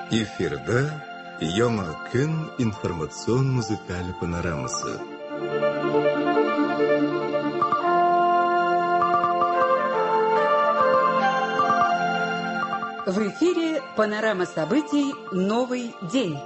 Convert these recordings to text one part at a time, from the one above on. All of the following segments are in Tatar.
Эфирда Яңа көн информацион музыкаль панорамасы. В эфире панорама событий «Новый день».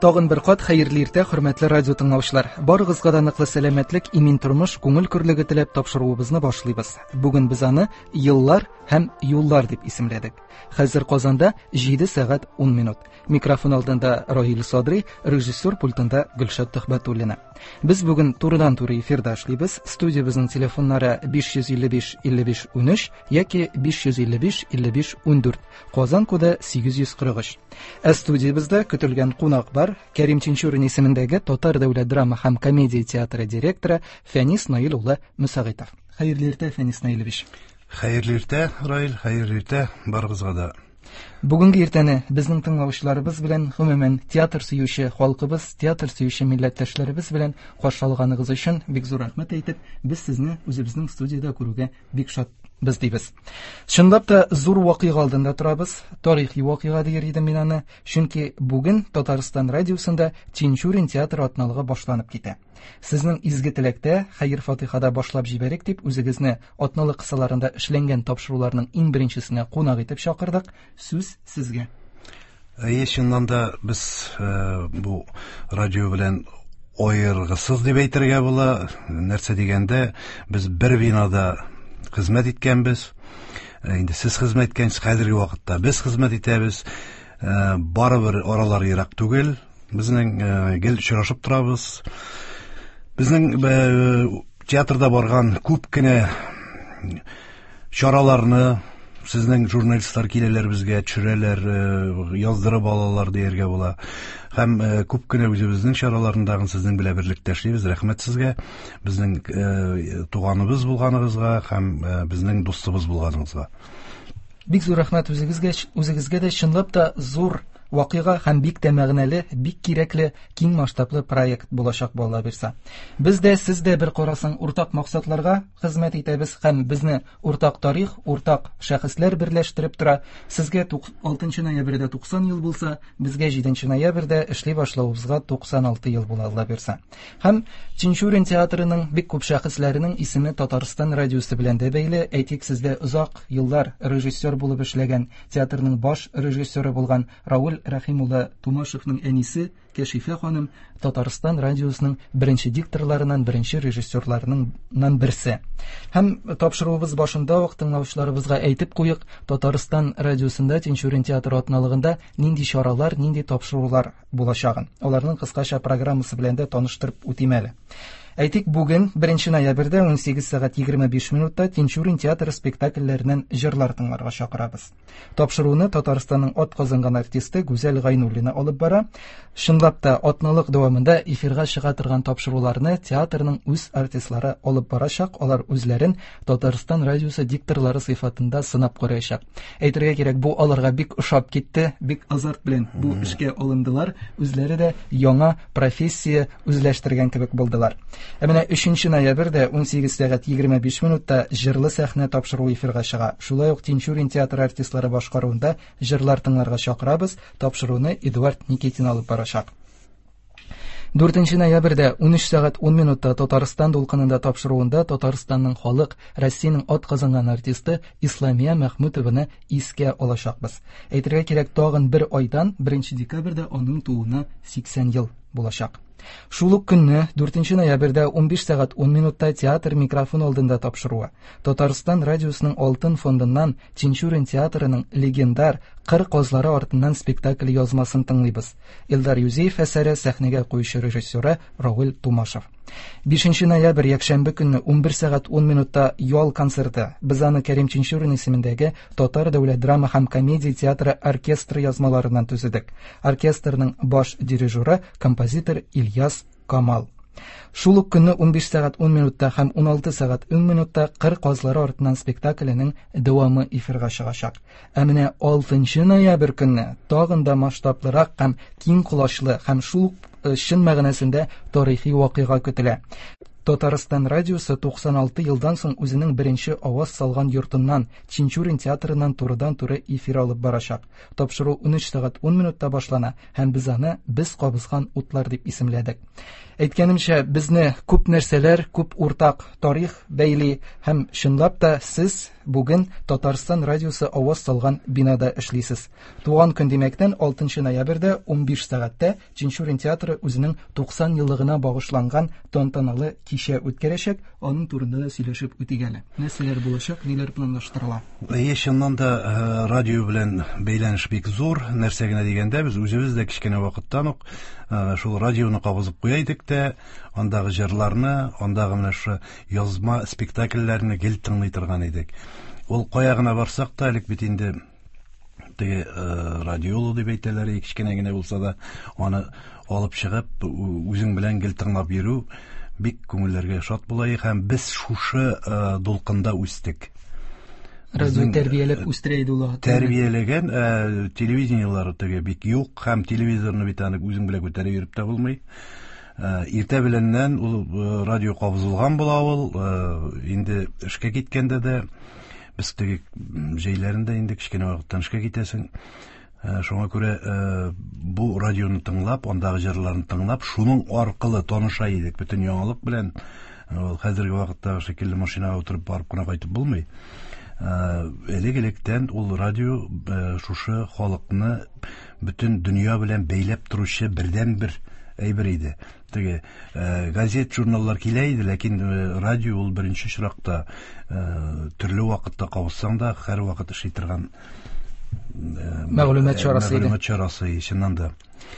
Тагын бер кат хәерле иртә, хөрмәтле радио тыңлаучылар. Барыгызга да ныклы сәламәтлек, имин тормыш, күңел көрлеге теләп тапшыруыбызны башлыйбыз. Бүген без аны Еллар һәм юллар дип исемләдек. Хәзер Казанда 7 сәгать 10 минут. Микрофон алдында Раил Садри, режиссер пультында Гөлшат Төхбәтуллина. Без бүген турыдан-туры эфирда эшлибез. Студиябезнең телефоннары 555 55 13 яки 555 55 14. Казан коды 843. Ә студиябездә көтелгән кунак бар. Кәрим Тинчурин исемендәге Татар дәүләт драма һәм комедия театры директоры Фәнис Наил улы Мөсәгыйтов. Хәерле иртә, Фәнис Наилевич. Хәерле иртә, Раил, хәерле иртә барыгызга да. Бүгенге иртәне безнең тыңлаучыларыбыз белән, гомумән, театр сөюче халкыбыз, театр сөюче милләттәшләребез белән каршы алганыгыз өчен бик зур рәхмәт әйтеп, без сезне үзебезнең студиядә күрүгә бик шатбыз дибез. Чынлап та зур вакыйга алдында торабыз, тарихи вакыйга дияр идем мин аны, чөнки бүген Татарстан радиосында Тинчурин театры атналыгы башланып китә. Сезнең изге теләктә, хәер-фатихада башлап җибәрик дип, үзегезне атналык кысаларында эшләнгән тапшыруларның иң беренчесенә кунак итеп чакырдык. Сүз сезгә. Әйе, чыннан да без бу радио белән аергысыз дип әйтергә була. Нәрсә дигәндә, без бер бинада хезмәт иткәнбез. Инде сез хезмәт иткәнсез, хәзерге вакытта без хезмәт итәбез. Барыбер аралар ерак түгел. Безнең гел очрашып торабыз. Безнең театрда барган күп кенә чараларны сезнең журналистлар киләләр безгә, төшерәләр, яздырып алалар дияргә була. Һәм күп кенә үзебезнең чараларны тагын сезнең белән берлектә эшлибез. Рәхмәт сезгә. Безнең туганыбыз булганыгызга һәм безнең дустыбыз булганыгызга. Бик зур рәхмәт үзегезгә, үзегезгә дә чынлап та зур вакыйга һәм бик тә мәгънәле, бик кирәкле, киң масштаблы проект булачак бу, Алла бирса. Без дә, сез дә бер карасаң уртак максатларга хезмәт итәбез һәм безне уртак тарих, уртак шәхесләр берләштереп тора. Сезгә 6 ноябрьдә 90 ел булса, безгә 7 ноябрьдә эшли башлавыбызга 96 ел була, Алла бирса. Һәм Тинчурин театрының бик күп шәхесләренең исеме Татарстан радиосы белән дә бәйле. Әйтик, сездә озак еллар режиссер булып эшләгән, театрның баш режиссеры булган Рауль Рәхим улы Тумашевның әнисе Кәшифә ханым Татарстан радиосының беренче дикторларыннан, беренче режиссерларыннан берсе. Һәм тапшыруыбыз башында ук тыңлаучыларыбызга әйтеп куйык, Татарстан радиосында Тинчурин театры атналыгында нинди чаралар, нинди тапшырулар булачагын. Аларның кыскача программасы белән дә таныштырып үтим әле. Әйтик, бүген 1 ноябрьдә 18 сәгать 25 минутта Тинчурин театры спектакльләреннән җырлар тыңларга чакырабыз. Тапшыруны Татарстанның ат казанган артисты Гүзәл Гайнуллина алып бара. Чынлап та, атналык дәвамында эфирга чыга торган тапшыруларны театрның үз артистлары алып барачак. Алар үзләрен Татарстан радиосы дикторлары сыйфатында сынап караячак. Әйтергә кирәк, бу аларга бик ошап китте, бик азарт белән бу эшкә алындылар. Үзләре дә яңа профессия үзләштергән кебек булдылар. Ә менә 3 ноябрьдә 18 сәгать 25 минутта җырлы сәхнә тапшыруы эфирга чыга. Шулай ук Тинчурин театры артистлары башкаруында җырлар тыңларга чакырабыз. Тапшыруны Эдуард Никитин алып барачак. 4 ноябрьдә 13 сәгать 10 минутта Татарстан дулкынында тапшыруында Татарстанның халык, Россиянең ат казанган артисты Исламия Мәхмүтованы искә алачакбыз. Әйтергә кирәк, тагын бер айдан 1 декабрьдә аның тууына 80 ел булачак. Шул ук көнне 4 ноябрьдә 15 сәгать 10 минутта театр микрофон алдында тапшыруы. Татарстан радиосының Алтын фондыннан Тинчурин театрының легендар Кыр казлары артыннан спектакль язмасын тыңлыйбыз. Илдар Юзеев әсәре сәхнәгә куючы режиссеры Равил Тумашев. 5 ноябрь якшәмбе көнне 11 сәгать 10 минутта ял концерты. Без аны Кәрим Тинчурин исемендәге Татар дәүләт драма һәм комедия театры оркестры язмаларыннан төзедек. Оркестрның баш дирижеры композитор Ильяс Камал. Шул ук көнне 15 сәгать 10 минутта һәм 16 сәгать 10 минутта Кыр казлары артыннан спектакленең дәвамы эфирга чыгачак. Ә менә 6 ноябрь көнне тагын да масштаблырак һәм киң колачлы һәм шул ук чын мәгънәсендә тарихи вакыйга көтелә. Татарстан радиосы 96 елдан соң үзенең беренче аваз салган йортыннан, Тинчурин театрыннан турыдан-туры эфир алып барачак. Тапшыру 13 сәгать 10 минутта башлана һәм без аны «Без кабызган утлар» дип исемләдек. Әйткәнемчә, безне күп нәрсәләр, күп уртак тарих бәйли һәм чынлап та сез бүген Татарстан радиосы аваз салган бинада эшлисез. Туган көн димәктән 6 ноябрьдә 15 сәгатьтә Тинчурин театры үзенең 90 еллыгына багышланган тантаналы кичә үткәрәчәк. Аның турында да сөйләшеп үтик әле. Нәрсәләр булачак, ниләр планлаштырыла? Әйе, чыннан да радио белән бәйләнеш бик зур. Нәрсә генә дигәндә, без үзебез дә кечкенә вакыттан ук шул радионы кабызып куя идек тә, андагы җырларны, андагы менә шушы язма спектакльләрне гел тыңлый торган идек. Ул кая гына барсак та, элек бит инде теге радиолу дип әйтәләр, кечкенә генә булса да, аны алып чыгып, үзең белән гел тыңлап йөрү бик күңелләргә шат була һәм без шушы дулкында үстек. Радио тәрбияләп үстерә иде ул. Тәрбияләгән телевидениеләр теге бик юк һәм телевизорны бит аны үзең белән күтәреп йөреп тә булмый. Иртә беләннән ул радио кабызылган була ул, инде эшкә киткәндә дә без теге җәйләрендә инде кечкенә вакыттан эшкә китәсең. Шуңа күрә бу радионы тыңлап, андагы җырларны тыңлап, шуның аркылы таныша идек бөтен яңалык белән. Ул хәзерге вакыттагы шикелле машинага утырып барып кына кайтып булмый. Элек-электән ул радио шушы халыкны бөтен дөнья белән бәйләп торучы бердәнбер әйбер иде. Теге газет, журналлар килә иде, ләкин радио ул беренче очракта төрле вакытта кабызсаң да, һәр вакыт эшли торган мәгълүмат чарасы иде. Мәгълүмат чарасы, чыннан да.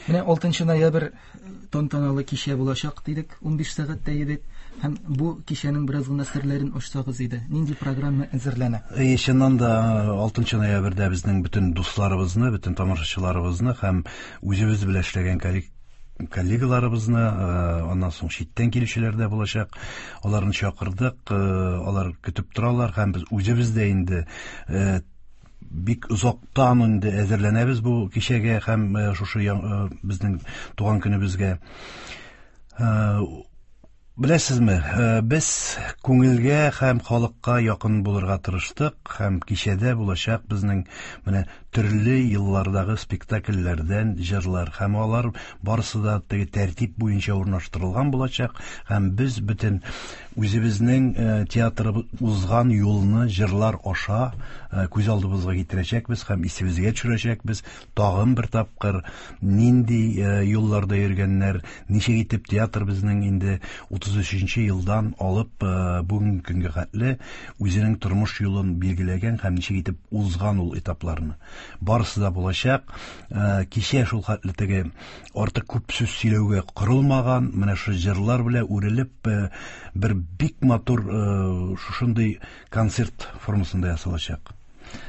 Менә 6 ноябрь тантаналы кичә булачак дидек, 15 сәгатьтә бит. Һәм бу кичәнең бераз гына серләрен ачсагыз иде. Нинди программа әзерләнә? Әйе, чыннан да 6 ноябрьдә безнең бөтен дусларыбызны, бөтен тамашачыларыбызны һәм үзебез белән эшләгән коллегаларыбызны, аннан соң читтән килүчеләр дә булачак. Аларны чакырдык, алар көтеп торалар һәм без үзебез дә инде бик озактан инде әзерләнәбез бу кичәгә һәм шушы безнең туган көнебезгә. Беләсезме, без күңелгә һәм халыкка якын булырга тырыштык һәм кичәдә булачак безнең менә төрле еллардагы спектакльләрдән җырлар һәм алар барысы да теге тәртип буенча урнаштырылган булачак һәм без бөтен үзебезнең театры узган юлны җырлар аша күз алдыбызга китерәчәкбез һәм исебезгә төшерәчәкбез. Тагын бер тапкыр нинди юлларда йөргәннәр, ничек итеп театр безнең инде 33 елдан алып бүгенге көнгә хәтле үзенең тормыш юлын билгеләгән һәм ничек итеп узган ул этапларны. Барысы да булачак. Кичә шул хәтле теге артык күп сүз сөйләүгә корылмаган, менә шу җырлар белән үрелеп бер бик матур шушындый концерт формасында ясалачак.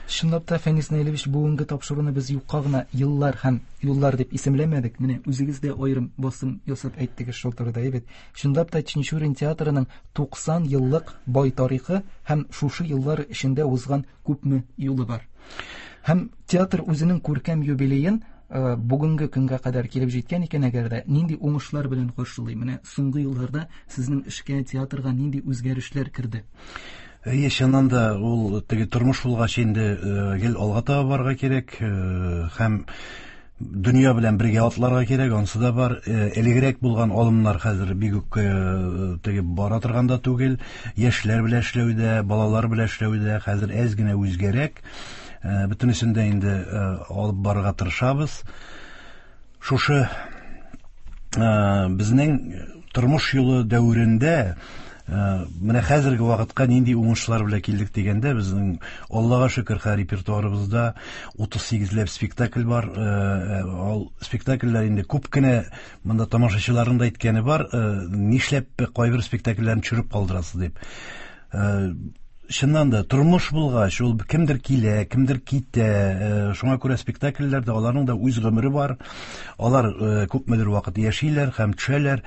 Чынлап та, Фәнис Наилевич, бүгенге тапшыруны без юкка гына еллар һәм юллар дип исемләмәдек. Менә үзегез дә аерым басым ясап әйттегез шул турыда, әйбәт. Чынлап та Тинчурин театрының 90 еллык бай тарихы һәм шушы еллар эчендә узган күпме юлы бар. Һәм театр үзенең күркәм юбилеен бүгенге көнгә кадәр килеп җиткән икән, әгәр дә нинди уңышлар белән каршылый? Менә соңгы елларда сезнең эшкә, театрга нинди үзгәрешләр керде? Әйе, чыннан да ул теге тормыш булгач инде гел алга таба барырга кирәк, һәм дөнья белән бергә атларга кирәк, ансы да бар. Элегрәк булган алымнар хәзер бик үк теге бара торган да түгел. Яшьләр белән эшләүдә, балалар белән эшләүдә хәзер әз генә үзгәрәк. Бөтенесен дә инде алып барырга тырышабыз. Шушы безнең тормыш юлы дәверендә менә хәзерге вакытка нинди уңышлар белән килдек дигәндә, безнең Аллага шөкер, хәзер репертуарыбызда 38ләп спектакль бар. Ул спектакльләр инде күп кенә монда тамашачыларның да әйткәне бар, нишләп кайбер спектакльләрне төшереп калдырасыз дип. Чыннан да тормыш булгач, ул кемдер килә, кемдер китә. Шуңа күрә спектакльләрдә аларның да үз гомере бар. Алар күпмедер вакыт яшиләр һәм төшәләр.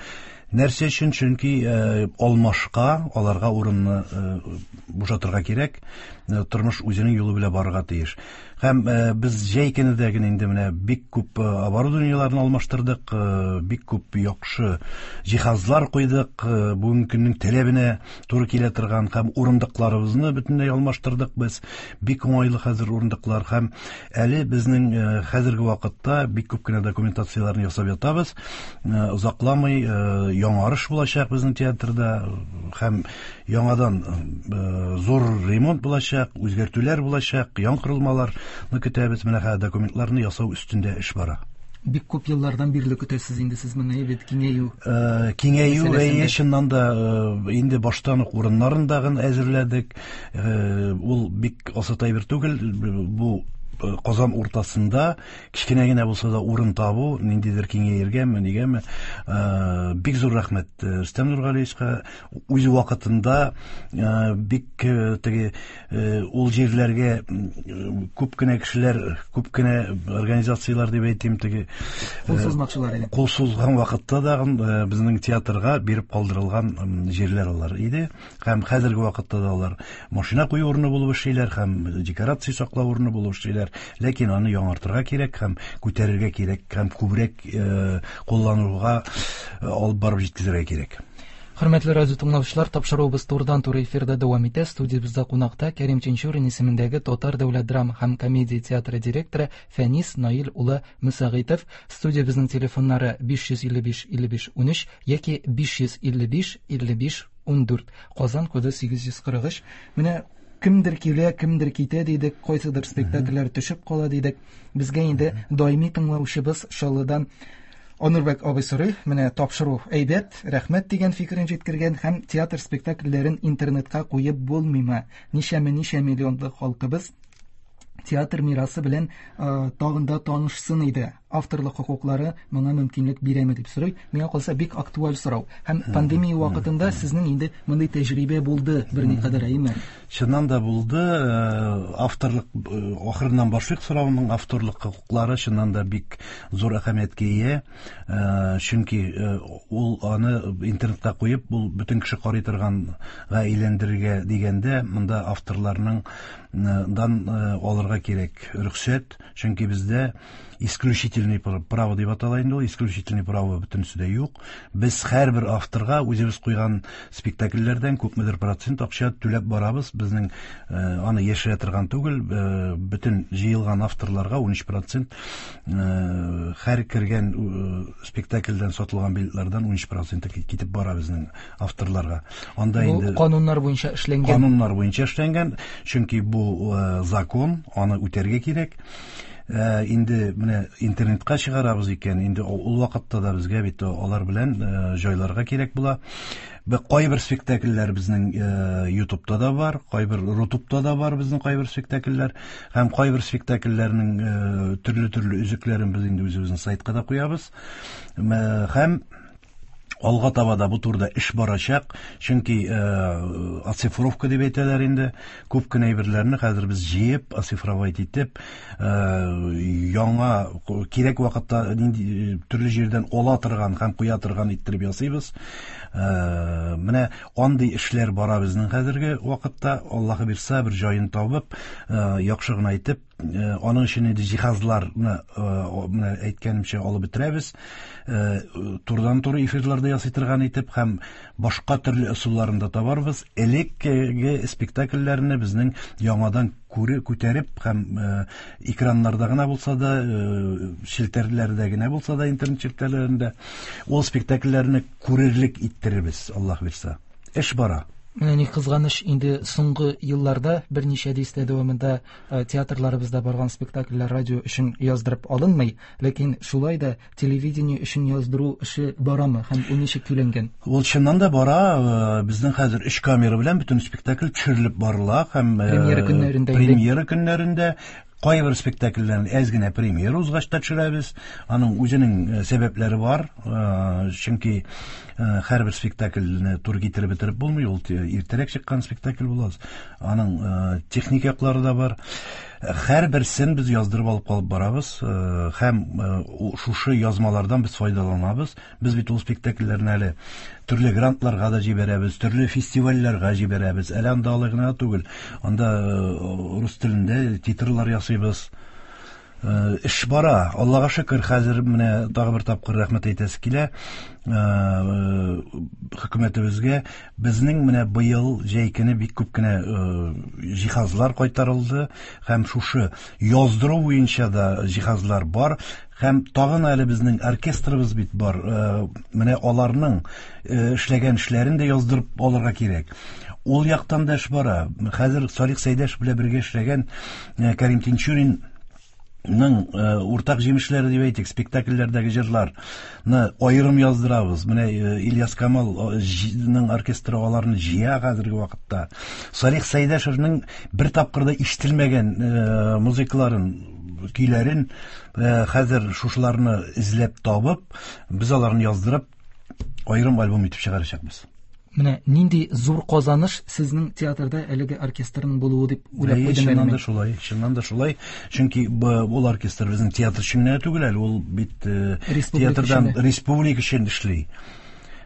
Нәрсә өчен? Чөнки алмашка аларга урынны бушатырга кирәк. Тормыш үзенең юлы белән барырга тиеш. Һәм без җәй көне дә генә инде менә бик күп оборудованиеләрне алмаштырдык, бик күп яхшы җиһазлар куйдык, бүгенге көннең таләбенә туры килә торган һәм урындыкларыбызны бөтенләй алмаштырдык без. Бик уңайлы хәзер урындыклар һәм әле безнең хәзерге вакытта бик күп кенә документацияләрне ясап ятабыз. Озакламый яңарыш булачак безнең театрда һәм яңадан зур ремонт булачак, үзгәртүләр булачак, яңа корылмаларны көтәбез. Менә хәзер документларны ясау өстендә эш бара. Бик күп еллардан бирле көтәсез инде сез моны, бит киңәю. Киңәю, әйе, чыннан да инде баштан ук урыннарын дагын әзерләдек. Ул бик асат әйбер түгел. Бу Казан уртасында кечкенә генә булса да урын табу, ниндидер киңәергәме, нигәме. Бик зур рәхмәт Рөстәм Нургалиевичка. Үз вакытында бик теге ул җирләргә күп кенә кешеләр, күп кенә организацияләр дип әйтим, теге кул сузмакчылар иде. Кул сузган вакытта да безнең театрга биреп калдырылган җирләр алар иде. Һәм хәзерге вакытта да алар машина кую урыны булып эшлиләр, һәм декорация саклау урыны булып эшлиләр. Ләкин аны яңартырга кирәк һәм күтәрергә кирәк, һәм күбрәк куллануга алып барып җиткезергә кирәк. Хөрмәтле радио тыңлаучылар, тапшыруыбыз турыдан-туры эфирда дәвам итә. Студиябездә кунакта Кәрим Тинчурин исемендәге Татар дәүләт драма һәм комедия театры директоры Фәнис Наил улы Мөсәгыйтов. Студиябезнең телефоннары 555 55 13 яки 555 55 14. Казан коды 843. Менә кемдер килә, кемдер китә дидек, кайсыдыр спектакльләр төшеп кала дидек. Безгә инде даими тыңлаучыбыз Чаллыдан Анурбәк абый сорый, менә тапшыру әйбәт, рәхмәт дигән фикерен җиткергән һәм театр спектакльләрен интернетка куеп булмыймы? Ничәме-ничә миллионлы халкыбыз театр мирасы белән тагын да танышсын иде. Авторлык хокуклары моңа мөмкинлек бирәме дип сорый. Миңа калса бик актуаль сорау. Һәм пандемия вакытында сезнең инде мондый тәҗрибә булды берникадәр, әйеме? Чыннан да булды. Авторлык ахырыннан башлыйк сорауның. Авторлык хокуклары чыннан да бик зур әһәмияткә ия. Чөнки ул аны интернетка куеп, ул бөтен кеше карый торганга әйләндерергә дигәндә, монда авторларның дан алырга кирәк рөхсәт, чөнки бездә исключительный право дип атала инде ул, исключительный право бөтенесе дә юк. Без һәрбер авторга үзебез куйган спектакльләрдән күпмедер процент акча түләп барабыз. Безнең аны яшерә торган түгел, бөтен җыелган авторларга 13% һәр кергән спектакльдән сатылган билетлардан 13% китеп бара безнең авторларга. Анда бу инде кануннар буенча эшләнгән. Кануннар буенча эшләнгән, чөнки бу закон, аны үтәргә кирәк. Инде менә интернетка чыгарабыз икән, инде ул вакытта да безгә бит алар белән җайларга кирәк була. Кайбер спектакльләр безнең YouTube'та да бар, кайбер Рутубта да бар безнең кайбер спектакльләр. Һәм кайбер спектакльләрнең төрле-төрле өзекләрен без инде үзебезнең сайтка да куябыз. Һәм алга таба да бу турыда эш барачак, чөнки оцифровка дип әйтәләр инде. Күп кенә әйберләрне хәзер без җыеп, оцифровать итеп, яңа кирәк вакытта нинди төрле җирдән ала торган һәм куя торган иттереп ясыйбыз. Менә андый эшләр бара безнең хәзерге вакытта. Аллаһы бирсә, бер җаен табып, яхшы гына итеп, аның өчен инде җиһазларны, менә әйткәнемчә алып бетерәбез. Турыдан-туры эфирларда ясый торган итеп һәм башка төрле ысулларын да табарбыз. Элеккеге спектакльләрне безнең яңадан күтәреп һәм экраннарда гына булса да, челтәрләрдә генә булса да, интернет челтәрләрендә ул спектакльләрне күрерлек иттерербез, Аллаһ бирсә. Эш бара. Менә ни кызганыч, инде соңгы елларда берничә дистә дәвамында театрларыбызда барган спектакльләр радио өчен яздырып алынмый, ләкин шулай да телевидение өчен яздыру эше барамы һәм ул ничек көйләнгән? Ул чыннан да бара. Безнең хәзер 3 камера белән бөтен спектакль төшерелеп барыла һәм премьера көннәрендә инде. Премьера көннәрендә кайбер спектакльләрне әз генә премьера узгач та төшерәбез. Аның үзенең сәбәпләре бар, чөнки һәрбер спектакльне туры китереп бетереп булмый, ул иртәрәк чыккан спектакль була. Аның техник яклары да бар. Һәрберсен без яздырып алып калып барабыз һәм шушы язмалардан без файдаланабыз. Без бит ул спектакльләрне әле төрле грантларга да җибәрәбез, төрле фестивальләргә җибәрәбез. Әле анда алай гына түгел. Анда рус телендә титрлар ясыйбыз. Эш бара. Аллага шөкер, хәзер менә тагы бер тапкыр рәхмәт әйтәсе килә хөкүмәтебезгә. Безнең менә быел җәй көне бик күп кенә җиһазлар кайтарылды һәм шушы яздыру буенча да җиһазлар бар. Һәм тагын әле безнең оркестрыбыз бит бар. Менә аларның эшләгән эшләрен дә яздырып алырга кирәк. Ул яктан да эш бара. Хәзер Салих Сәйдәш белән бергә эшләгән Кәрим Тинчурин ның уртак җимешләре дип әйтик, спектакльләрдәге җырларны аерым яздырабыз. Менә Ильяс Камалның оркестры аларны җыя хәзерге вакытта. Салих Сәйдәшевнең бер тапкыр да ишетелмәгән музыкаларын, көйләрен хәзер шушыларны эзләп табып, без аларны яздырып, аерым альбом итеп чыгарачакбыз. Менә нинди зур казаныш сезнең театрда әлеге оркестрның булуы дип уйлап куйдым. Чыннан да шулай, чыннан да шулай. Чөнки ул оркестр безнең театр өчен генә түгел әле, ул бит театрдан республика өчен эшли.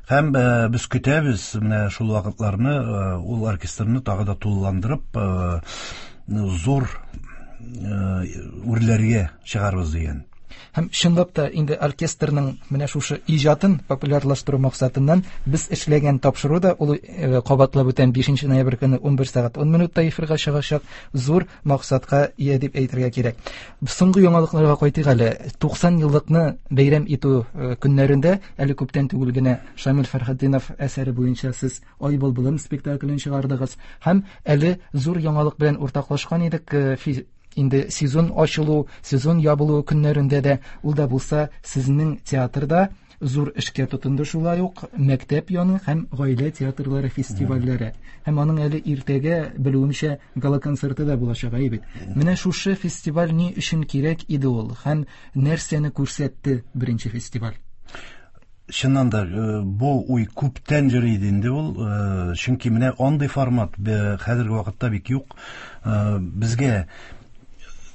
Һәм без көтәбез менә шул вакытларны, ул оркестрны тагы да тулыландырып, зур үрләргә чыгарбыз дигән. Һәм чынлап та инде оркестрның менә шушы иҗатын популярлаштыру максатыннан без эшләгән тапшыру да ул кабатлап үтәм 5 ноябрь көне 11 сәгать 10 минутта эфирга чыгачак, зур максатка ия дип әйтергә кирәк. Соңгы яңалыкларга кайтыйк әле. 90 еллыкны бәйрәм итү көннәрендә әле күптән түгел генә Шамил Фәрхетдинов әсәре буенча сез Ай былбылым спектаклен чыгардыгыз һәм әле зур яңалык белән уртаклашкан идек. Инде сезон ачылу, сезон ябылу көннәрендә дә ул да булса сезнең театрда зур эшкә тотынды, шулай ук мәктәп яны һәм гаилә театрлары фестивальләре. Һәм аның әле иртәгә, белүемчә, гала-концерты да булачак, әйе бит. Менә шушы фестиваль ни өчен кирәк иде ул һәм нәрсәне күрсәтте беренче фестиваль? Чыннан да бу уй күптән йөри иде инде ул, чөнки менә андый формат хәзерге вакытта бик юк. Безгә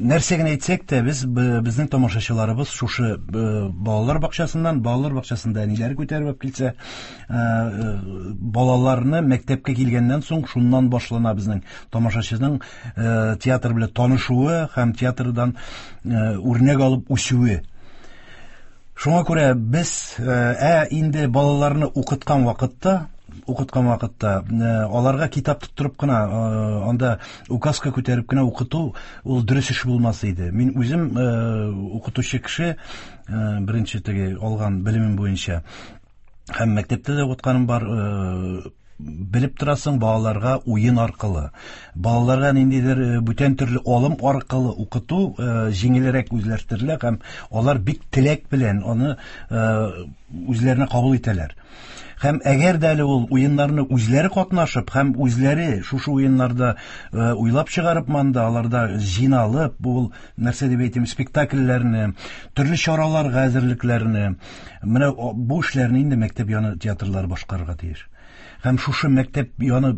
нәрсә генә әйтсәк тә, без безнең тамашачыларыбыз шушы балалар бакчасыннан, балалар бакчасында әниләр күтәреп алып килсә, балаларны мәктәпкә килгәннән соң шуннан башлана безнең тамашачының театр белән танышуы һәм театрдан үрнәк алып үсүе. Шуңа күрә без инде балаларны укыткан вакытта аларга китап тоттырып кына, анда указка күтәреп кенә укыту ул дөрес эш булмас иде. Мин үзем укытучы кеше, беренче теге алган белемем буенча һәм мәктәптә дә укытканым бар, белеп торасың, балаларга уен аркылы, балаларга ниндидер бүтән төрле алым аркылы укыту җиңелрәк үзләштерелә һәм алар бик теләк белән аны үзләренә кабул итәләр. Һәм әгәр дә әле ул уеннарны үзләре катнашып һәм үзләре шушы уеннарда уйлап чыгарып монда аларда җыйналып, ул нәрсә дип әйтим, спектакльләрне, төрле чараларга әзерлекләрне, менә бу эшләрне инде мәктәп яны театрлары башкарырга тиеш. Һәм шушы мәктәп яны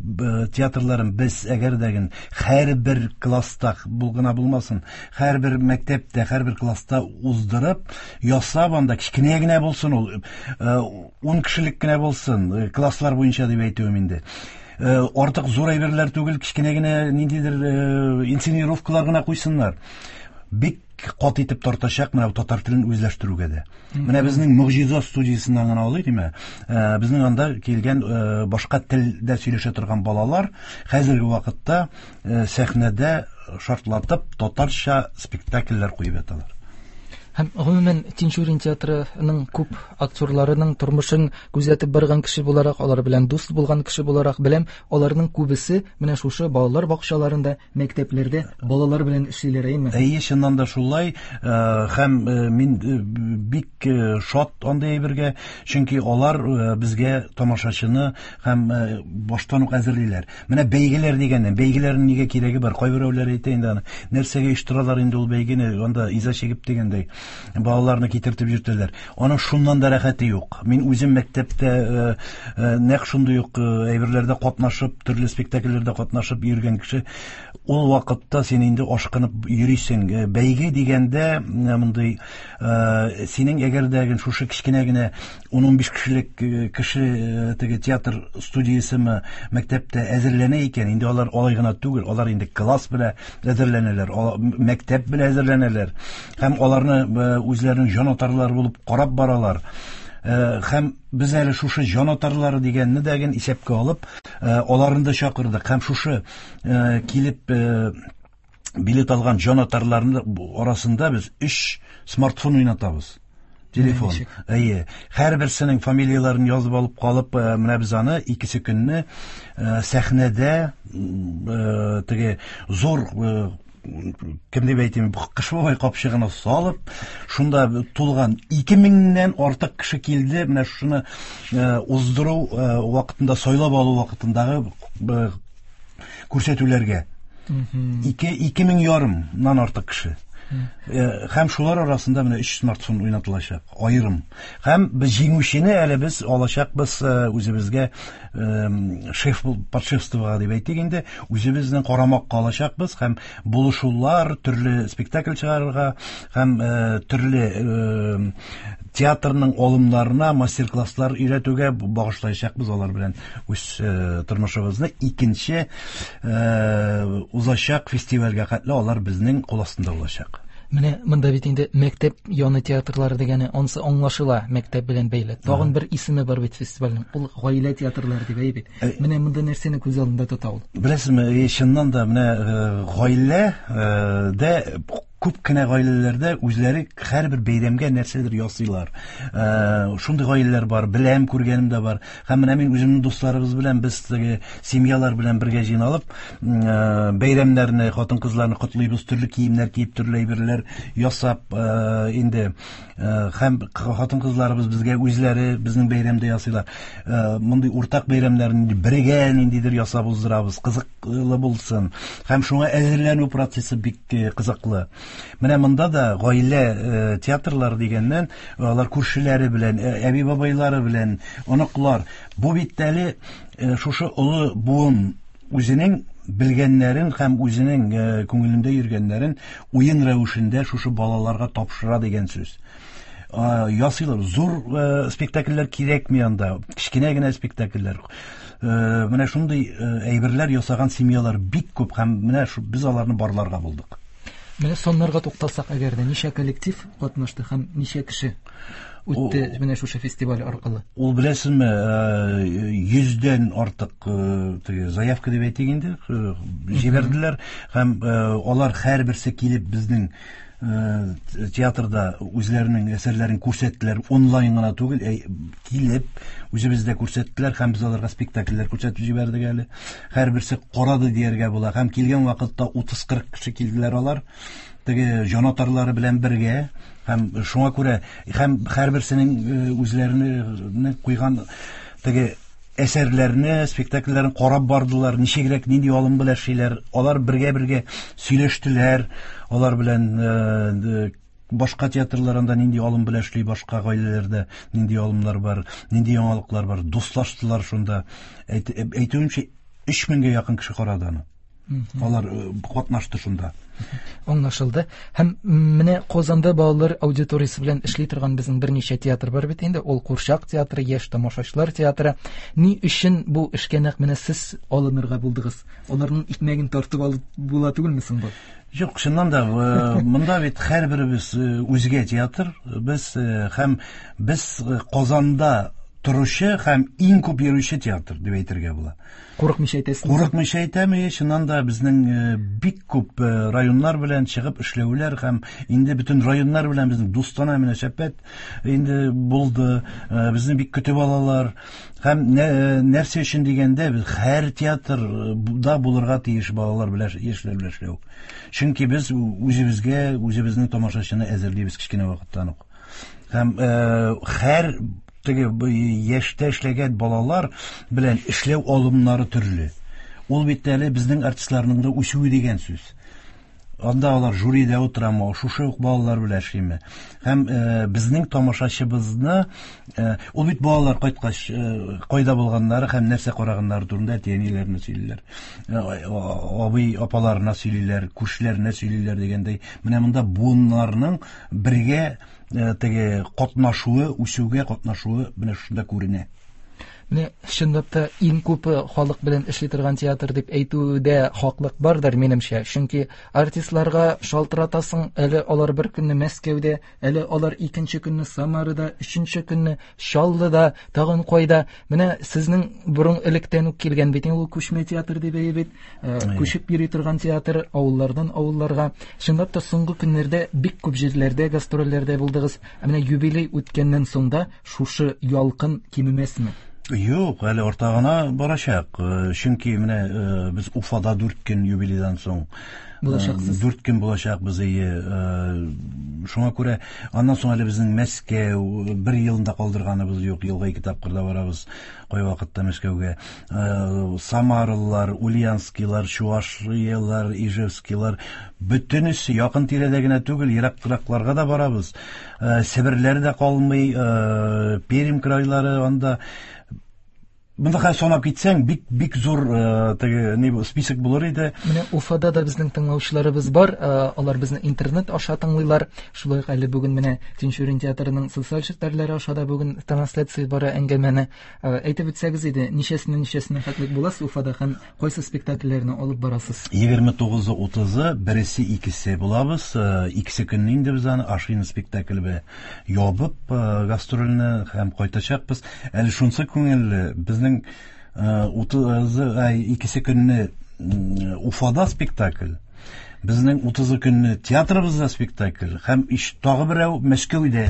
театрларын без әгәр дә ген һәрбер класста булгына булмасын, һәрбер мәктәптә, һәрбер класста уздырып, ясап анда кечкенә генә булсын ул, 10 кешелек кенә булсын, класслар буенча дип әйтүем инде. Артык зур әйберләр түгел, кечкенә генә ниндидер инсценировкалар гына куйсыннар. Бик кат итеп тартачак менә татар телен үзләштерүгә дә. Менә безнең Могҗиза студиясеннән генә алыйк, димә. Безнең анда килгән башка телдә сөйләшә торган балалар хәзерге вакытта сәхнәдә шартлатып татарча спектакльләр куеп яталар. Һәм гомумән Тинчурин театрының күп актерларының тормышын күзәтеп барган кеше буларак, алар белән дус булган кеше буларак беләм, аларның күбесе менә шушы балалар бакчаларында, мәктәпләрдә балалар белән эшлиләр, әйеме? Әйе, чыннан да шулай. Һәм мин бик шат андый әйбергә, чөнки алар безгә тамашачыны һәм баштан ук әзерлиләр. Менә бәйгеләр дигәннән, бәйгеләрнең нигә кирәге бар? Кайберәүләр әйтә инде аны, нәрсәгә оештыралар инде ул бәйгене, анда иза чигеп дигәндәй. Балаларны китертеп йөртәләр. Аның шуннан да рәхәте юк. Мин үзем мәктәптә нәкъ шундый ук әйберләрдә катнашып, төрле спектакльләрдә катнашып йөргән кеше. Ул вакытта син инде ашкынып йөрисең. Бәйге дигәндә, мондый синең әгәр дә шушы кечкенә генә 10-15 кешелек кеше теге театр студиясеме мәктәптә әзерләнә икән, инде алар алай гына түгел, алар инде класс белән әзерләнәләр, мәктәп белән әзерләнәләр. Һәм аларны үзләренең җанатарлары булып карап баралар. Һәм без әле шушы җанатарлары дигәнне дә ген исәпкә алып, аларны да чакырдык. Һәм шушы килеп билет алган җанатарларның арасында без 3 смартфон уйнатабыз. Телефон. Әйе. Һәрберсенең фамилияләрен язып алып калып, менә без аны икесе көнне сәхнәдә теге зур, кем дип әйтим, Кыш бабай капчыгына салып, шунда тулган 2000-нән артык кеше килде. Менә шуны уздыру вакытында, сайлап алу вакытындагы күрсәтүләргә. 2500-нан артык кеше. Һәм шулар арасында менә 3 смартфон уйнатылачак, аерым. Һәм без җиңүчене әле без алачакбыз үзебезгә, шеф подшефствога дип әйтик инде, үзебезнең карамакка алачакбыз һәм булышулар, төрле спектакль чыгарырга һәм төрле театрның алымнарына мастер-класслар өйрәтүгә багышлаячакбыз алар белән үз тормышыбызны. Икенче узачак фестивальгә хәтле алар безнең кул астында булачак. Менә монда бит инде мәктәп яны театрлары дигәне, ансы аңлашыла, мәктәп белән бәйле. Тагын бер исеме бар бит фестивальнең, ул гаилә театрлары дип әй бит. Менә монда нәрсәне күз алдында тота ул? Беләсезме, чыннан да менә гаилә дә күп кенә гаиләләрдә үзләре һәрбер бәйрәмгә нәрсәдер ясыйлар. Шундый гаиләләр бар, беләм, күргәнем дә бар. Һәм менә мин үземнең дусларыбыз белән без теге семьялар белән бергә җыйналып, бәйрәмнәрне, хатын-кызларны котлыйбыз, төрле киемнәр киеп, төрле әйберләр ясап, инде һәм хатын-кызларыбыз безгә үзләре безнең бәйрәмдә ясыйлар. Мондый уртак бәйрәмнәрне бергә ниндидер ясап уздырабыз, кызыклы булсын. Һәм шуңа әзерләнү процессы бик кызыклы. Менә монда да гаилә театрлары дигәннән, алар күршеләре белән, әби-бабайлары белән, оныклар. Бу бит әле шушы олы буын үзенең белгәннәрен һәм үзенең күңелендә йөргәннәрен уен рәвешендә шушы балаларга тапшыра дигән сүз. Ясыйлар. Зур спектакльләр кирәкми анда, кечкенә генә спектакльләр. Менә шундый әйберләр ясаган семьялар бик күп һәм менә без аларны барларга булдык. Менә саннарга тукталсак, әгәр дә ничә коллектив катнашты һәм ничә кеше үтте менә шушы фестиваль аркылы? Ул беләсезме, 100дән артык теге заявка дип әйтик инде, җибәрделәр һәм алар һәрберсе килеп безнең театрда үзләренең әсәрләрен күрсәттеләр, онлайн гына түгел, килеп үзебездә күрсәттеләр һәм без аларга спектакльләр күрсәтеп җибәрдек әле. Һәрберсе карады дияргә була һәм килгән вакытта 30-40 кеше килделәр алар, теге җанатарлары белән бергә һәм шуңа күрә һәм һәрберсенең үзләренә куйган теге әсәрләрне, спектакльләрен карап бардылар, ничегрәк, нинди алым белән эшлиләр. Алар бергә-бергә сөйләштеләр, алар белән башка театрларында нинди алым белән эшли, башка гаиләләрдә нинди алымнар бар, нинди яңалыклар бар, дуслаштылар шунда. Әйтүемчә, 3000гә якын кеше карады аны. Алар катнашты шунда. Аңлашылды. Һәм менә Казанда балалар аудиториясе белән эшли торган безнең берничә театр бар бит инде. Ул Курчак театры, Яшь тамашачылар театры. Ни өчен бу эшкә нәкъ менә сез алынырга булдыгыз? Аларның икмәген тартып алып була түгелме соң бу? Юк, чыннан да, монда бит һәрберебез үзгә театр. Без һәм без Казанда торучы һәм иң күп йөрүче театр дип әйтергә була. Курыкмыйча әйтәсез? Курыкмыйча әйтәм, чыннан да безнең бик күп районнар белән чыгып эшләүләр һәм инде бөтен районнар белән безнең дустанә мөнәсәбәт инде булды. Безне бик көтеп алалар. Һәм нәрсә өчен дигәндә, без һәр театрда булырга тиеш балалар белән, яшьләр белән эшләү. Чөнки без үзебезгә, үзебезнең тамашачыны әзерлибез кечкенә вакыттан ук. Һәм һәр теге яшьтә эшләгән балалар белән эшләү алымнары төрле. Ул бит әле безнең артистларның да үсүе дигән сүз. Анда алар жюрида утырамы, шушы ук балалар белән эшлиме? Һәм безнең тамашачыбызны, ул бит балалар кайткач, кайда булганнары һәм нәрсә караганнары турында әти-әниләренә сөйлиләр. Абый апаларына сөйлиләр, күршеләренә сөйлиләр дигәндәй. Менә монда буыннарның бергә теге катнашуы, үсүгә катнашуы менә шушында күренә. Менә чынлап та иң күп халык белән эшли торган театр дип әйтүдә хаклык бардыр минемчә. Чөнки артистларга шалтыратасың, әле алар бер көнне Мәскәүдә, әле алар икенче көнне Самарада, өченче көнне Чаллыда, тагын кайда. Менә сезнең борын электән үк килгән бит ул күчмә театр дип әйтә бит. Күчеп йөри торган театр авыллардан авылларга. Чынлап та соңгы көннәрдә бик күп җирләрдә гастрольләрдә булдыгыз. Ә менә юбилей үткәннән соң да шушы ялкын кимемәсме? Юк, әле арта гына барачак. Чөнки менә без Уфада 4 көн юбилейдан соң булачаксыз. 4 көн булачакбыз, әйе. Шуңа күрә аннан соң әле безнең Мәскәү бер елында калдырганыбыз юк, елга 2 тапкыр да барабыз кайвакытта Мәскәүгә. Самаралар, Ульяновскийлар, Чуашиялар, Ижевскийлар, бөтенесе якын тирәдә генә түгел, ерак-еракларга да барабыз. Себерләр дә калмый, Пермь крайлары анда. Монда хәзер санап китсәң, бик, бик зур теге ни бу, список булыр иде. Менә Уфада да безнең тыңлаучыларыбыз бар, алар безне интернет аша тыңлыйлар. Шулай ук әле бүген менә Тинчурин театрының социаль челтәрләре аша да бүген трансляция бара әңгәмәне. Әйтеп үтсәгез иде, ничәсеннән ничәсенә хәтлек буласыз Уфада һәм кайсы спектакльләрне алып барасыз? Егерме тугызы, утызы, бересе, икесе булабыз. Икесе көнне инде без аны Ашина спектакле белән ябып, гастрольне һәм кайтачакбыз. Әле шунысы күңелле, безнең, утызы, ай, икесе көнне, Уфада спектакль, безнең утызы көнне театрыбызда спектакль һәм тагы берәү Мәскәүдә.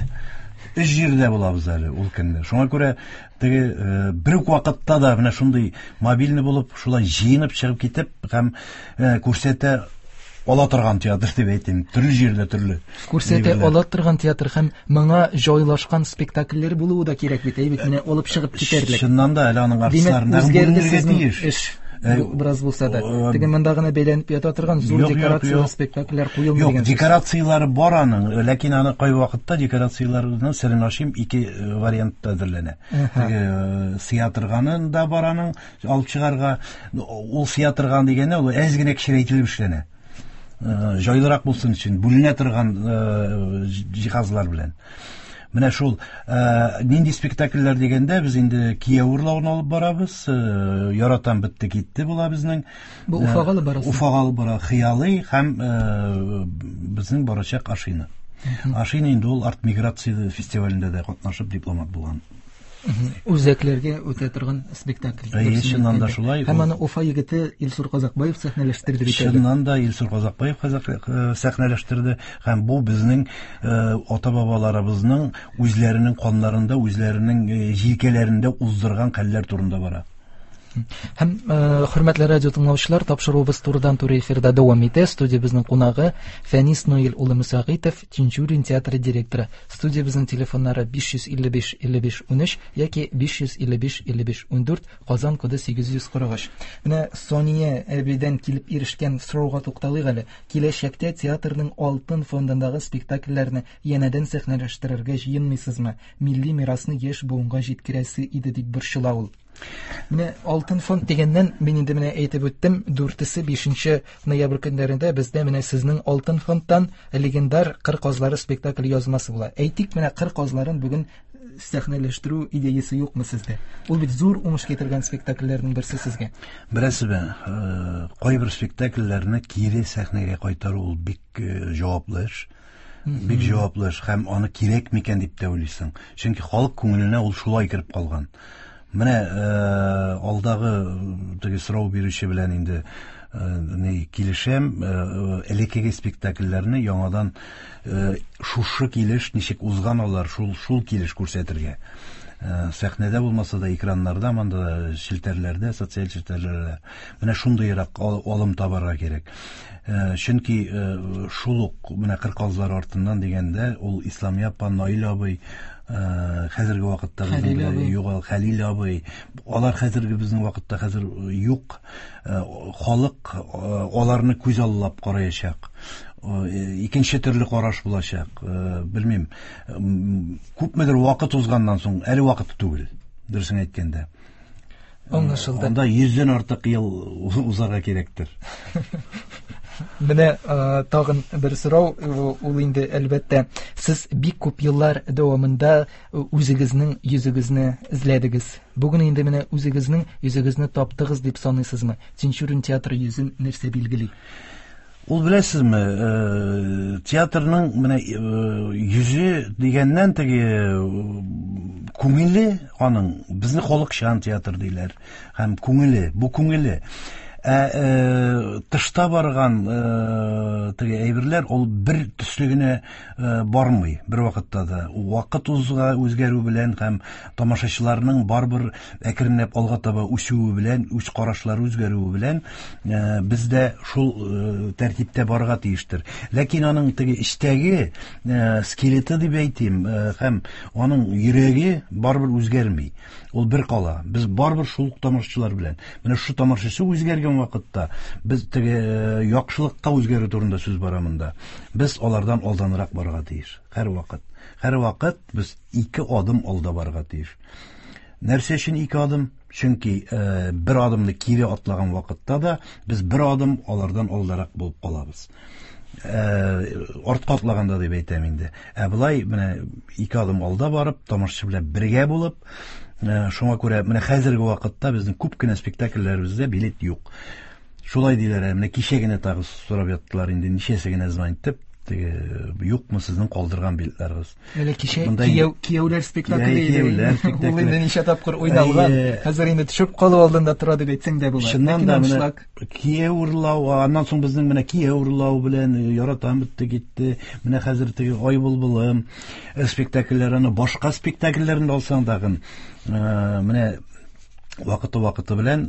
Өч җирдә булабыз әле ул көнне. Шуңа күрә теге, бер үк вакытта да менә шундый мобильный булып, шулай җыенып чыгып китеп һәм, күрсәтә ала торган театр дип әйтим. Төрле җирдә төрле. Күрсәтә Әйберләр. ала торган театр һәм моңа җайлашкан спектакльләр булуы да кирәк бит, әй бит, менә алып чыгып китәрлек. Чыннан да әле аның Димәк, артистларында үзгәрде бүленергә сезнең тиеш. эш. Бераз булса да. Теге монда гына бәйләнеп ята торган зур Юк, юк, декорацияле юк. спектакльләр куелмый Юк, дигән сүз. декорацияләре бар аның, ләкин аны кай вакытта декорацияләрнең серен ачыйм, ике вариантта әзерләнә. Теге сыя торганын да бар аның, алып чыгарга. Ул сыя торган дигәндә, ул әз генә кечерәйтелеп эшләнә. Җайлырак булсын өчен, бүленә торган җиһазлар белән. Менә шул нинди спектакльләр дигәндә, без инде Кияү урлавын алып барабыз, Яратам бетте китте була безнең. Бу Уфага алып барасыз? Уфага алып бара Хыялый һәм безнең барачак Ашина. Ашина инде ул арт-миграция фестивалендә дә катнашып дипломат булган. Үзәкләргә үтә торган спектакль. Әйе, Дөресен чыннан да әйткәндә. шулай. Һәм аны Уфа егете Илсур Казакбаев сәхнәләштерде бит әле. Чыннан да Илсур Казакбаев сәхнәләштерде. Һәм бу безнең ата-бабаларыбызның үзләренең каннарында, үзләренең җилкәләрендә уздырган хәлләр турында бара. Һәм хөрмәтле радио тыңлаучылар, тапшыруыбыз турыдан-туры эфирда дәвам итә. Студиябезнең кунагы Фәнис Наил улы Мөсәгыйтов, Тинчурин театры директоры. Студиябезнең телефоннары биш йөз илле биш илле биш унөч яки биш йөз илле биш илле биш ундүрт, Казан коды сигез йөз кырык өч. Менә Сания әбидән килеп ирешкән сорауга тукталыйк әле. Киләчәктә театрның алтын фондындагы спектакльләрне янәдән сәхнәләштерергә җыенмыйсызмы? Милли мирасны яшь буынга җиткерәсе иде дип борчыла ул. Менә алтын фонд дигәннән мин инде менә әйтеп үттем, дүртесе бишенче ноябрь көннәрендә бездә менә сезнең алтын фондтан легендар Кыр казлары спектакль язмасы була. Әйтик, менә Кыр казларын бүген сәхнәләштерү идеясы юкмы сездә? Ул бит зур уңыш китергән спектакльләрнең берсе сезгә. Беләсезме, кайбер спектакльләрне кире сәхнәгә кайтару ул бик җаваплы эш. Бик җаваплы эш һәм аны кирәк микән дип тә уйлыйсың. Чөнки халык күңеленә ул шулай кереп калган. Менә алдагы теге сорау бирүче белән инде ни килешәм, элеккеге спектакльләрне яңадан шушы килеш ничек узган алар, шул килеш күрсәтергә. Сәхнәдә булмаса да экраннарда, монда челтәрләрдә, социаль челтәрләрдә менә шундыйрак алым табарга кирәк. Чөнки шул ук менә Кыр казлары артыннан дигәндә, ул Исламия апа, Наил абый, хәзерге вакытта безнең Хәлил белән абый. юк, Хәлил абый, алар хәзерге безнең вакытта хәзер юк. Халык аларны күз аллап караячак. Икенче төрле караш булачак. Белмим, күпмедер вакыт узганнан соң, әле вакыты түгел, дөресен әйткәндә. Аңлашылды. Анда 100дән артык ел узарга кирәктер. Менә тагын бер сорау, ул инде әлбәттә, сез бик күп еллар дәвамында үзегезнең йөзегезне эзләдегез. Бүген инде менә үзегезнең йөзегезне таптыгыз дип саныйсызмы? Тинчурин театры йөзен нәрсә билгели? Ул беләсезме, театрның менә йөзе дигәннән теге күңеле аның, безне халыкчан театр диләр. Һәм күңеле, бу күңеле. Ә тышта барган теге әйберләр ул бер төсле генә бармый бер вакытта да. Вакыт узга үзгәрү белән һәм тамашачыларның барыбер әкренләп алга таба үсүе белән, үз карашлары үзгәрүе белән без дә шул тәртиптә барырга тиештер. Ләкин аның теге эчтәге скелеты дип әйтим, һәм аның йөрәге барыбер үзгәрми. Ул бер кала. Без барыбер шул ук тамашачылар белән. Менә шушы тамашачы үзгәргән вакытта без теге яхшылыкка үзгәрү турында сүз бара монда. Без алардан алданрак барырга тиеш. Һәрвакыт. Һәрвакыт без ике адым алда барырга тиеш. Нәрсә өчен ике адым? Чөнки бер адымны кире атлаган вакытта да без бер адым алардан алдарак булып калабыз. Артка атлаганда дип әйтәм инде. Ә болай менә ике адым алда барып, тамашачы белән бергә булып, шуңа күрә менә хәзерге вакытта безнең күп кенә спектакльләребездә билет юк. Шулай диләр, менә кичә генә тагы сорап яттылар инде, ничәсе генә звонит дип, теге юкмы сезнең калдырган билетларыгыз? Әле кичә кияүләр спектакле иде. Кияүләр спектакле. Ул инде ничә тапкыр уйналган. Хәзер инде төшеп калу алдында тора дип әйтсәң дә була. Чыннан да менә кияү урлау, аннан соң безнең менә кияү урлау белән яратам бетте китте. Менә хәзер теге Ай булбулым спектакльләр, аны башка спектакльләрен дә алсаң тагын, менә вакыты-вакыты белән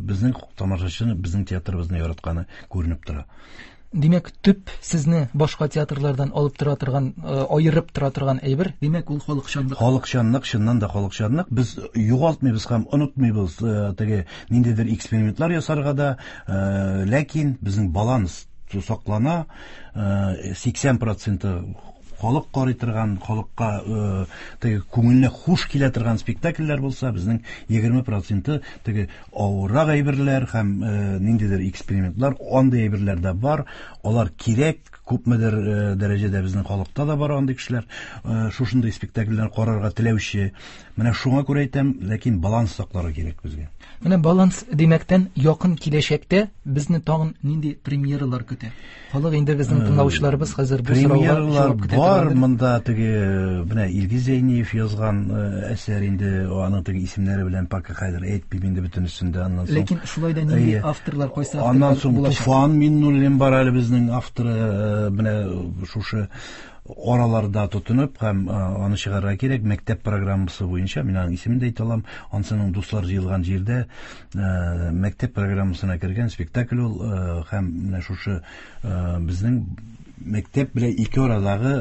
безнең тамашачыны, безнең театрыбызны яратканы күренеп тора. Димәк, төп сезне башка театрлардан алып тора торган, аерып тора торган әйбер, димәк, ул халыкчанлык. Халыкчанлык, чыннан да халыкчанлык. Без югалтмыйбыз һәм онытмыйбыз теге ниндидер экспериментлар ясарга да, ләкин безнең баланс саклана, 80% халык карый торган, халыкка теге күңеленә хуш килә торган спектакльләр булса, безнең 20% теге авыррак әйберләр һәм ниндидер экспериментлар, андый әйберләр дә бар, алар кирәк, күпмедер дәрәҗәдә безнең халыкта да бар андый кешеләр, шушындый спектакльләр карарга теләүче. Менә шуңа күрә әйтәм, ләкин баланс сакларга кирәк безгә. Менә баланс димәктән, якын киләчәктә безне тагын нинди премьералар көтә? Халык инде безнең тыңлаучыларыбыз хәзер бу сорауга җавап көтә бар торгандыр. Монда теге менә Илгиз Зәйниев язган әсәр инде, аның теге исемнәре белән пока хәзер әйтмим инде бөтенесен дә, аннан соң. Ләкин шулай да нинди авторлар, кайсы авторлар Аннан соң булачак? Туфан Миннуллин бар әле безнең авторы, менә шушы араларда тотынып һәм аны чыгарырга кирәк мәктәп программасы буенча, мин аның исемен дә әйтә алам, ансының дуслар җыелган җирдә мәктәп программасына кергән спектакль ул, һәм менә шушы безнең мәктәп белән ике арадагы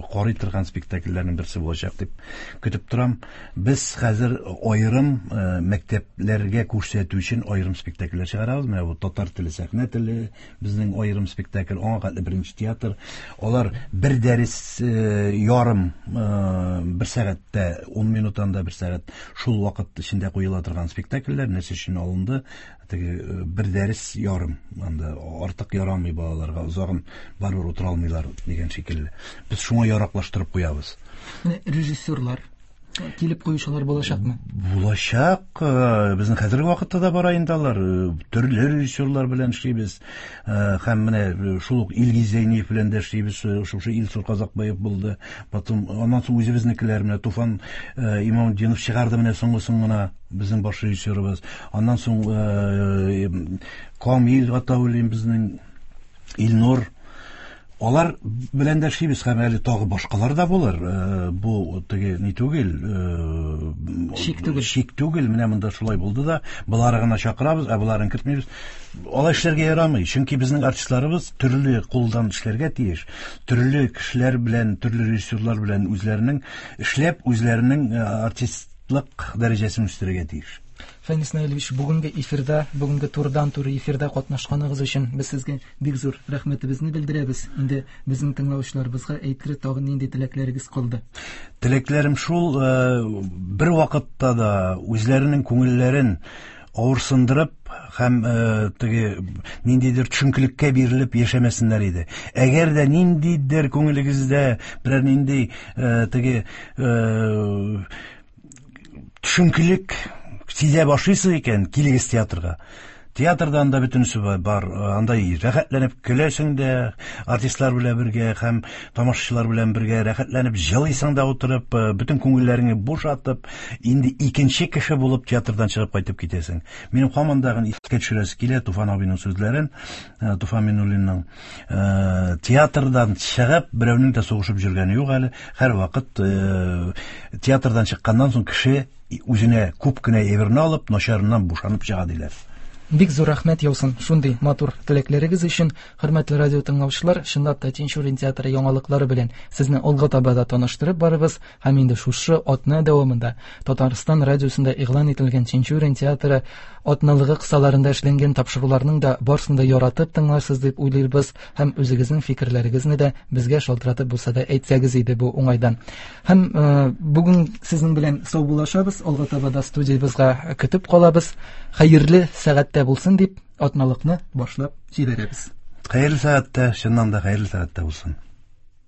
карый торган спектакльләрнең берсе булачак дип көтеп торам. Без хәзер аерым мәктәпләргә күрсәтү өчен аерым спектакльләр чыгарабыз. Менә бу татар теле, сәхнә теле безнең аерым спектакль, аңа хәтле беренче театр. Алар бер дәрес ярым, бер сәгатьтә, 10 минуттан да бер сәгать шул вакыт эчендә куела торган спектакльләр. Нәрсә өчен алынды? Теге бер дәрес ярым, анда артык ярамый балаларга, озагын барыбер утыра алмыйлар дигән шикелле. Без шуңа яраклаштырып куябыз. Менә режиссерлар килеп куючылар булачакмы? Булачак. Безнең хәзерге вакытта да бара инде алар. Төрле режиссерлар белән эшлибез. Һәм менә шул ук Илгиз Зәйниев белән дә эшлибез. Шушы Илсур Казакбаев булды. Потом аннан соң үзебезнекеләр, менә Туфан Имамутдинов чыгарды менә соңгысын гына, безнең баш режиссерыбыз. Аннан соң Камил Гатауллин безнең, Илнур. Алар белән дә эшлибез һәм әле тагы башкалар да булыр. Бу теге ни түгел, Шик түгел. Шик түгел. Менә монда шулай булды да, болары гына чакырабыз, ә боларын кертмибез. Алай эшләргә ярамый, чөнки безнең артистларыбыз төрле кулдан эшләргә тиеш. Төрле кешеләр белән, төрле режиссерлар белән үзләренең эшләп, үзләренең артист Лык дәрәҗәсен үстерергә тиеш. Фәнис Наилевич, бүгенге эфирда, бүгенге турыдан-туры эфирда катнашканыгыз өчен без сезгә бик зур рәхмәтебезне белдерәбез. Инде безнең тыңлаучыларыбызга әйтер тагын нинди теләкләрегез калды? Теләкләрем шул, бер вакытта да үзләренең күңелләрен авырсындырып һәм теге ниндидер төшенкелеккә бирелеп яшәмәсеннәр иде. Әгәр дә ниндидер күңелегездә берәр нинди теге төшенкелек сизә башлыйсыз икән, килегез театрга. Театрда анда бөтенесе бар. Анда рәхәтләнеп көләсең дә, артистлар белән бергә һәм тамашачылар белән бергә рәхәтләнеп җылыйсың да утырып, бөтен күңелләреңне бушатып, инде икенче кеше булып театрдан чыгып кайтып китәсең. Минем һаман да искә төшерәсе килә Туфан абыйның сүзләрен, Туфан Минуллинның. Театрдан чыгып, берәүнең дә сугышып йөргәне юк әле. Һәрвакыт театрдан чыкканнан соң кеше үзенә күп кенә әйберне алып, начарыннан бушанып чыга диләр. Бик зур рәхмәт яусын шундый матур теләкләрегез өчен. Хөрмәтле радио тыңлаучылар, чынлап та Тинчурин театры яңалыклары белән сезне алга таба да таныштырып барыбыз һәм инде шушы атна дәвамында Татарстан радиосында игълан ителгән Тинчурин театры атналыгы кысаларында эшләнгән тапшыруларның да барысын да яратып тыңларсыз дип уйлыйбыз һәм үзегезнең фикерләрегезне дә безгә шалтыратып булса да әйтсәгез иде бу уңайдан. Һәм бүген сезнең белән саубуллашабыз, алга таба да студиябызга көтеп калабыз. Хәерле сәгатьтә булсын дип атналыкны башлап җибәрәбез. Хәерле сәгатьтә, чыннан да хәерле сәгатьтә булсын.